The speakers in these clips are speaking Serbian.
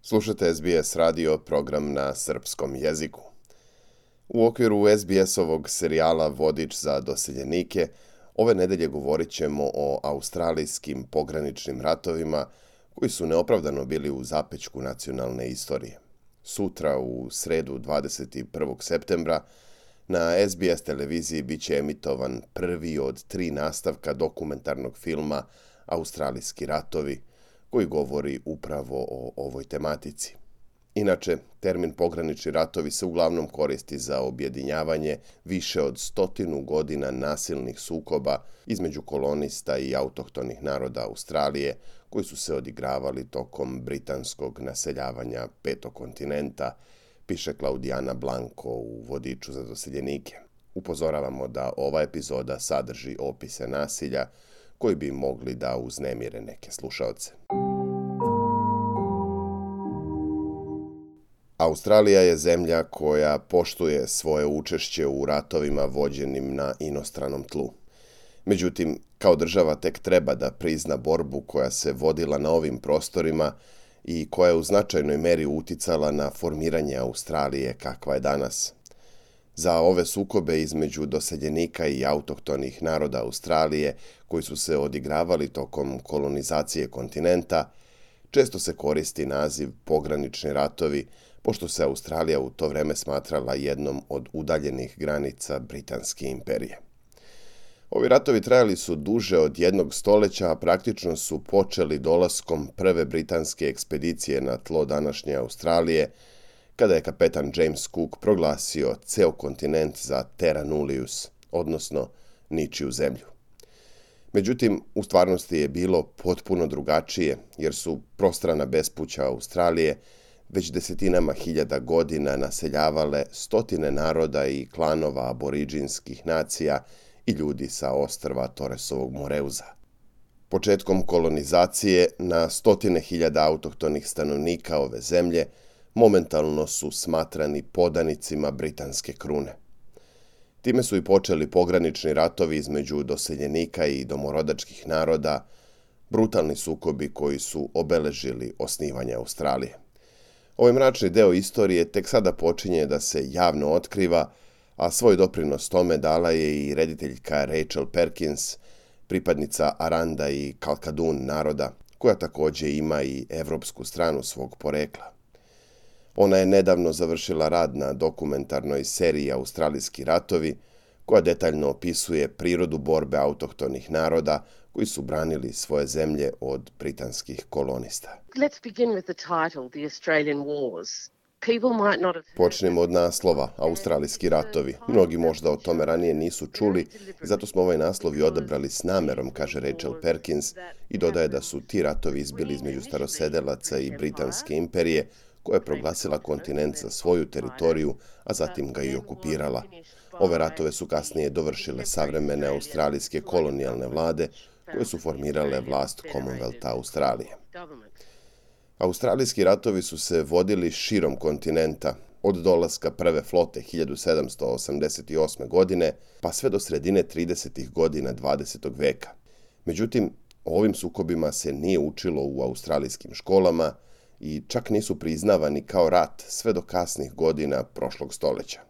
Slušate SBS radio, program na srpskom jeziku. U okviru SBS-ovog serijala Vodič za doseljenike, ove nedelje govorit ćemo o australijskim pograničnim ratovima koji su neopravdano bili u zapećku nacionalne istorije. Sutra, u sredu 21. septembra, na SBS televiziji bit će emitovan prvi od 3 nastavka dokumentarnog filma Australijski ratovi, koji govori upravo o ovoj tematici. Inače, termin pogranični ratovi se uglavnom koristi za objedinjavanje više od 100 godina nasilnih sukoba između kolonista i autohtonih naroda Australije, koji su se odigravali tokom britanskog naseljavanja 5. kontinenta, piše Klaudijana Blanko u Vodiču za doseljenike. Upozoravamo da ova epizoda sadrži opise nasilja koji bi mogli da uznemire neke slušaoce. Australija je zemlja koja poštuje svoje učešće u ratovima vođenim na inostranom tlu. Međutim, kao država tek treba da prizna borbu koja se vodila na ovim prostorima i koja je u značajnoj meri uticala na formiranje Australije kakva je danas. Za ove sukobe između doseljenika i autohtonih naroda Australije, koji su se odigravali tokom kolonizacije kontinenta, često se koristi naziv pogranični ratovi, pošto se Australija u to vreme smatrala jednom od udaljenih granica Britanske imperije. Ovi ratovi trajali su duže od 1 stoljeća, a praktično su počeli dolaskom prve britanske ekspedicije na tlo današnje Australije, kada je kapetan James Cook proglasio ceo kontinent za terra nullius, odnosno ničiju zemlju. Međutim, u stvarnosti je bilo potpuno drugačije, jer su prostrana bespuća Australije već desetinama hiljada godina naseljavale stotine naroda i klanova aboriđinskih nacija i ljudi sa ostrva Torresovog Moreuza. Početkom kolonizacije na stotine hiljada autohtonih stanovnika ove zemlje momentalno su smatrani podanicima britanske krune. Time su i počeli pogranični ratovi između doseljenika i domorodačkih naroda, brutalni sukobi koji su obeležili osnivanje Australije. Ovaj mračni deo istorije tek sada počinje da se javno otkriva, a svoj doprinos tome dala je i rediteljka Rachel Perkins, pripadnica Aranda i Kalkadun naroda, koja također ima i evropsku stranu svog porekla. Ona je nedavno završila rad na dokumentarnoj seriji Australijski ratovi, koja detaljno opisuje prirodu borbe autohtonih naroda koji su branili svoje zemlje od britanskih kolonista. Počnemo od naslova Australijski ratovi. Mnogi možda o tome ranije nisu čuli, zato smo ovaj naslov i odabrali s namerom, kaže Rachel Perkins, i dodaje da su ti ratovi izbili između starosedelaca i Britanske imperije, koja je proglasila kontinent za svoju teritoriju, a zatim ga i okupirala. Ove ratove su kasnije dovršile savremene australijske kolonijalne vlade, koje su formirale vlast Commonwealtha Australije. Australijski ratovi su se vodili širom kontinenta, od dolaska prve flote 1788. godine, pa sve do sredine 30. godina 20. veka. Međutim, o ovim sukobima se nije učilo u australijskim školama i čak nisu priznavani kao rat sve do kasnih godina prošlog stoljeća.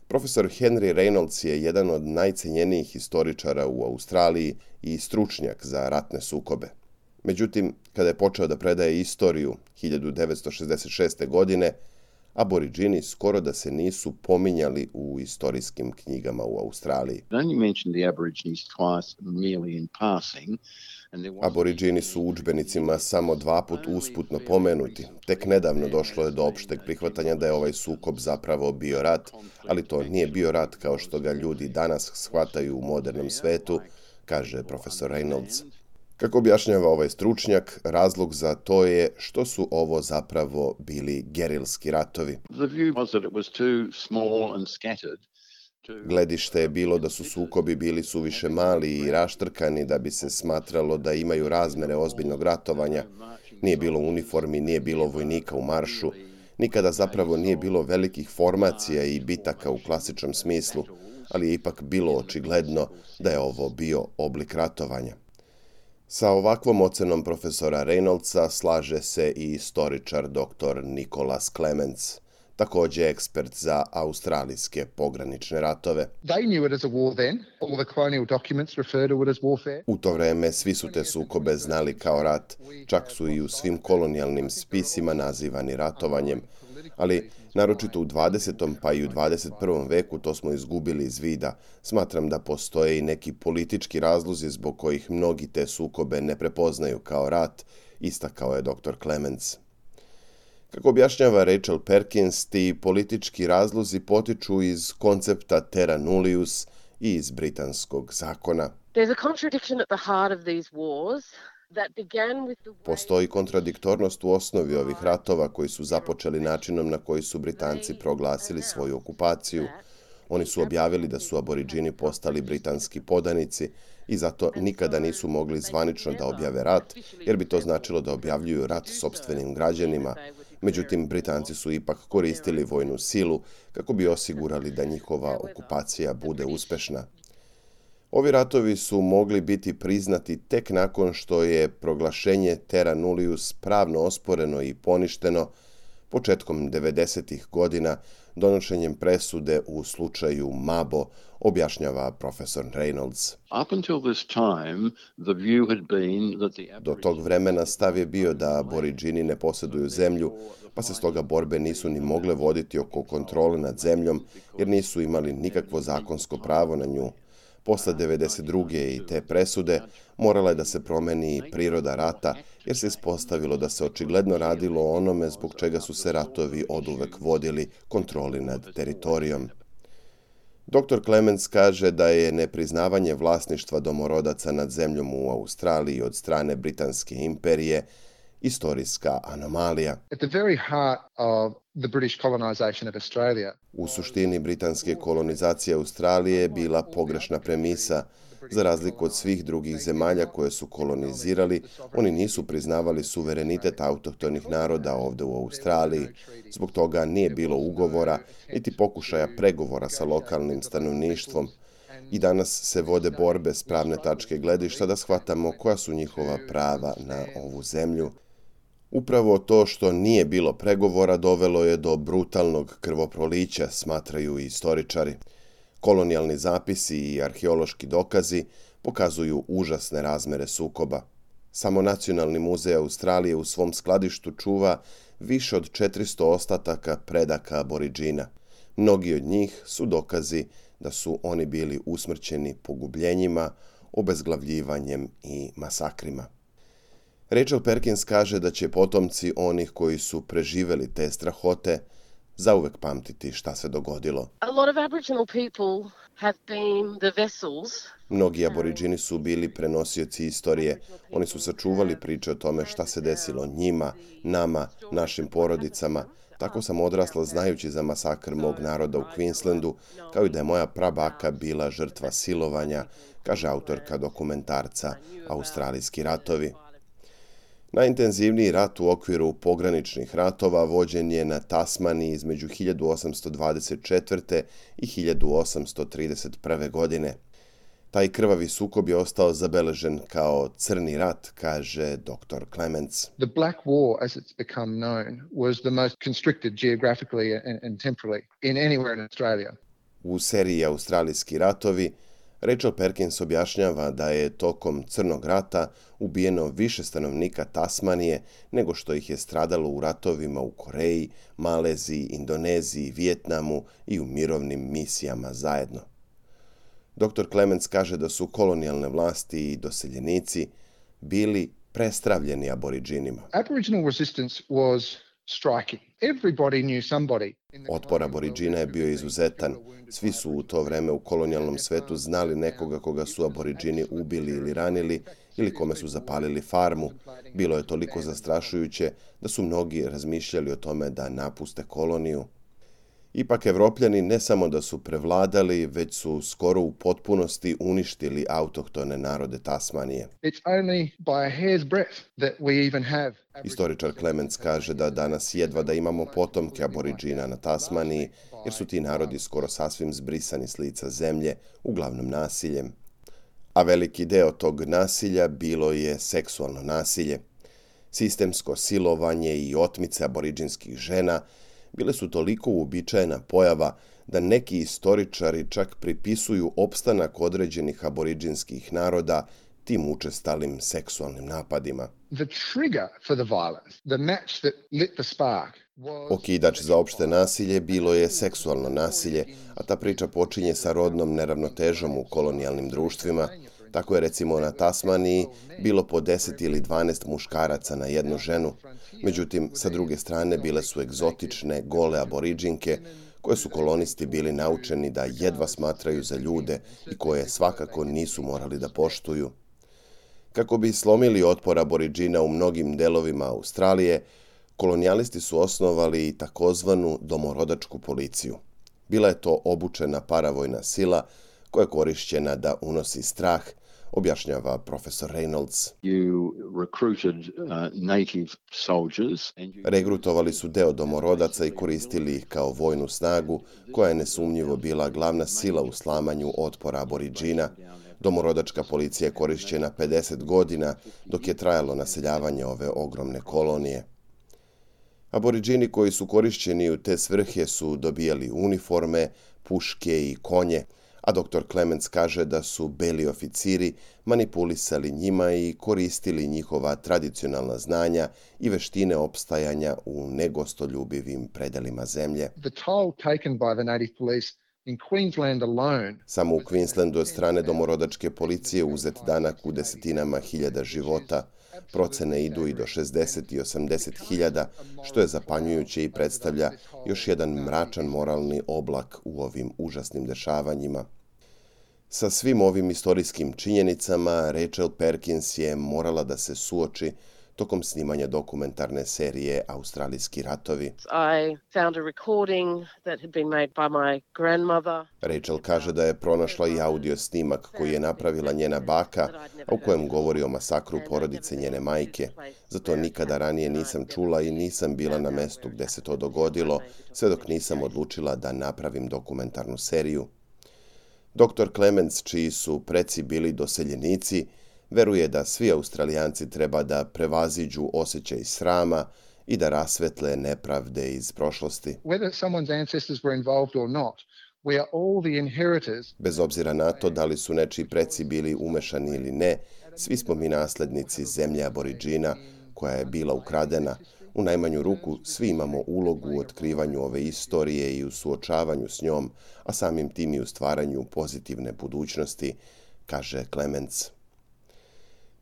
Profesor Henry Reynolds je jedan od najcenjenijih historičara u Australiji i stručnjak za ratne sukobe. Međutim, kada je počeo da predaje istoriju 1966. godine, aboriđini skoro da se nisu pominjali u istorijskim knjigama u Australiji. Aboriđini su u udžbenicima samo 2 puta usputno pomenuti. Tek nedavno došlo je do opšteg prihvatanja da je ovaj sukob zapravo bio rat, ali to nije bio rat kao što ga ljudi danas shvataju u modernom svetu, kaže profesor Reynolds. Kako objašnjava ovaj stručnjak, razlog za to je što su ovo zapravo bili gerilski ratovi. Gledište je bilo da su sukobi bili suviše mali i raštrkani da bi se smatralo da imaju razmere ozbiljnog ratovanja. Nije bilo uniformi, nije bilo vojnika u maršu, nikada zapravo nije bilo velikih formacija i bitaka u klasičnom smislu, ali je ipak bilo očigledno da je ovo bio oblik ratovanja. Sa ovakvom ocenom profesora Reynoldsa slaže se i istoričar dr. Nicholas Clements, također ekspert za australijske pogranične ratove. U to vreme svi su te sukobe znali kao rat, čak su i u svim kolonijalnim spisima nazivani ratovanjem, ali naročito u 20. pa i u 21. veku to smo izgubili iz vida. Smatram da postoje i neki politički razlozi zbog kojih mnogi te sukobe ne prepoznaju kao rat, istakao je dr. Clements. Kako objašnjava Rachel Perkins, ti politički razlozi potiču iz koncepta terra nullius i iz britanskog zakona. Postoji kontradiktornost u osnovi ovih ratova koji su započeli načinom na koji su Britanci proglasili svoju okupaciju. Oni su objavili da su Aboriđini postali britanski podanici i zato nikada nisu mogli zvanično da objave rat, jer bi to značilo da objavljuju rat sopstvenim građanima. Međutim, Britanci su ipak koristili vojnu silu kako bi osigurali da njihova okupacija bude uspešna. Ovi ratovi su mogli biti priznati tek nakon što je proglašenje terra nullius pravno osporeno i poništeno početkom 90. godina donošenjem presude u slučaju Mabo, objašnjava profesor Reynolds. Do tog vremena stav je bio da Aboriđini ne posjeduju zemlju, pa se stoga borbe nisu ni mogle voditi oko kontrole nad zemljom, jer nisu imali nikakvo zakonsko pravo na nju. Posle 92. i te presude morala je da se promeni priroda rata, jer se ispostavilo da se očigledno radilo o onome zbog čega su se ratovi oduvek vodili, kontroli nad teritorijom. Dr. Clements kaže da je nepriznavanje vlasništva domorodaca nad zemljom u Australiji od strane Britanske imperije istorijska anomalija. U suštini, britanske kolonizacije Australije je bila pogrešna premisa. Za razliku od svih drugih zemalja koje su kolonizirali, oni nisu priznavali suverenitet autohtonih naroda ovdje u Australiji. Zbog toga nije bilo ugovora, niti pokušaja pregovora sa lokalnim stanovništvom. I danas se vode borbe s pravne tačke gledišta da shvatamo koja su njihova prava na ovu zemlju. Upravo to što nije bilo pregovora dovelo je do brutalnog krvoprolića, smatraju i istoričari. Kolonijalni zapisi i arheološki dokazi pokazuju užasne razmere sukoba. Samo Nacionalni muzej Australije u svom skladištu čuva više od 400 ostataka predaka Aboriđina. Mnogi od njih su dokazi da su oni bili usmrćeni pogubljenjima, obezglavljivanjem i masakrima. Rachel Perkins kaže da će potomci onih koji su preživeli te strahote zauvek pamtiti šta se dogodilo. Mnogi Aboriđini su bili prenosioci istorije. Oni su sačuvali priče o tome šta se desilo njima, nama, našim porodicama. Tako sam odrasla znajući za masakr mog naroda u Queenslandu, kao i da je moja prabaka bila žrtva silovanja, kaže autorka dokumentarca Australijski ratovi. Najintenzivniji rat u okviru pograničnih ratova vođen je na Tasmaniji između 1824. i 1831. godine. Taj krvavi sukob je ostao zabeležen kao crni rat, kaže dr. Clements. The Black War, as it's become known, was the most constricted geographically and temporally in anywhere in Australia. U seriji Australijski ratovi Rachel Perkins objašnjava da je tokom Crnog rata ubijeno više stanovnika Tasmanije nego što ih je stradalo u ratovima u Koreji, Maleziji, Indoneziji, Vijetnamu i u mirovnim misijama zajedno. Dr. Clements kaže da su kolonijalne vlasti i doseljenici bili prestravljeni Aboriđinima. Aboriginal resistance was striking. Everybody knew somebody. Otpor Aboriđina je bio izuzetan. Svi su u to vreme u kolonijalnom svetu znali nekoga koga su Aboriđini ubili ili ranili ili kome su zapalili farmu. Bilo je toliko zastrašujuće da su mnogi razmišljali o tome da napuste koloniju. Ipak Evropljani ne samo da su prevladali, već su skoro u potpunosti uništili autohtone narode Tasmanije. Istoričar Clements kaže da danas jedva da imamo potomke Aboriđina na Tasmaniji, jer su ti narodi skoro sasvim zbrisani s lica zemlje, uglavnom nasiljem. a veliki deo tog nasilja bilo je seksualno nasilje. Sistemsko silovanje i otmice aboridžinskih žena bile su toliko uobičajena pojava da neki istoričari čak pripisuju opstanak određenih aboridžinskih naroda tim učestalim seksualnim napadima. The trigger for the violence, the match that lit the spark, Okidač za opšte nasilje bilo je seksualno nasilje, a ta priča počinje sa rodnom neravnotežom u kolonijalnim društvima. Tako je recimo na Tasmaniji bilo po 10 ili 12 muškaraca na jednu ženu. Međutim, sa druge strane bile su egzotične, gole aboridžinke, koje su kolonisti bili naučeni da jedva smatraju za ljude i koje svakako nisu morali da poštuju. Kako bi slomili otpor aboridžina u mnogim delovima Australije, kolonijalisti su osnovali takozvanu domorodačku policiju. Bila je to obučena paravojna sila koja je korišćena da unosi strah, objašnjava profesor Reynolds. Regrutovali su deo domorodaca i koristili ih kao vojnu snagu, koja je nesumnjivo bila glavna sila u slamanju otpora aboridžina. Domorodačka policija je korišćena 50 godina dok je trajalo naseljavanje ove ogromne kolonije. Aboridžini koji su korišćeni u te svrhe su dobijali uniforme, puške i konje, a dr. Clements kaže da su beli oficiri manipulisali njima i koristili njihova tradicionalna znanja i veštine opstajanja u negostoljubivim predelima zemlje. the toll taken by the native police in Queensland alone. Samo u Queenslandu od strane domorodačke policije uzet danak u desetinama hiljada života. Procene idu i do 60 i 80 hiljada, što je zapanjujuće i predstavlja još jedan mračan moralni oblak u ovim užasnim dešavanjima. Sa svim ovim istorijskim činjenicama Rachel Perkins je morala da se suoči tokom snimanja dokumentarne serije Australijski ratovi. I found a recording that had been made by my grandmother. Rachel kaže da je pronašla i audio snimak koji je napravila njena baka, a u kojem govori o masakru porodice njene majke. Zato nikada ranije nisam čula i nisam bila na mestu gde se to dogodilo, sve dok nisam odlučila da napravim dokumentarnu seriju. Dr. Clements, čiji su preci bili doseljenici, veruje da svi Australijanci treba da prevaziđu osjećaj srama i da rasvetle nepravde iz prošlosti. Whether someone's ancestors were involved or not, we are all the inheritors. Bez obzira na to da li su nečiji preci bili umešani ili ne, svi smo mi naslednici zemlje aboridžina koja je bila ukradena. U najmanju ruku svi imamo ulogu u otkrivanju ove istorije i u suočavanju s njom, a samim tim i u stvaranju pozitivne budućnosti, kaže Clements.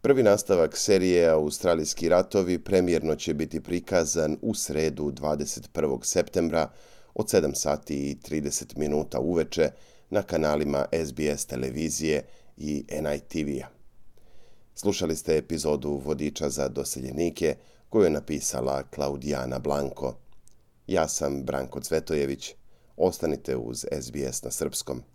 Prvi nastavak serije Australijski ratovi premijerno će biti prikazan u sredu 21. septembra od 7 sati i 30 minuta uveče na kanalima SBS televizije i NITV-a. Slušali ste epizodu Vodiča za doseljenike koju je napisala Klaudijana Blanko. Ja sam Branko Cvetojević. Ostanite uz SBS na srpskom.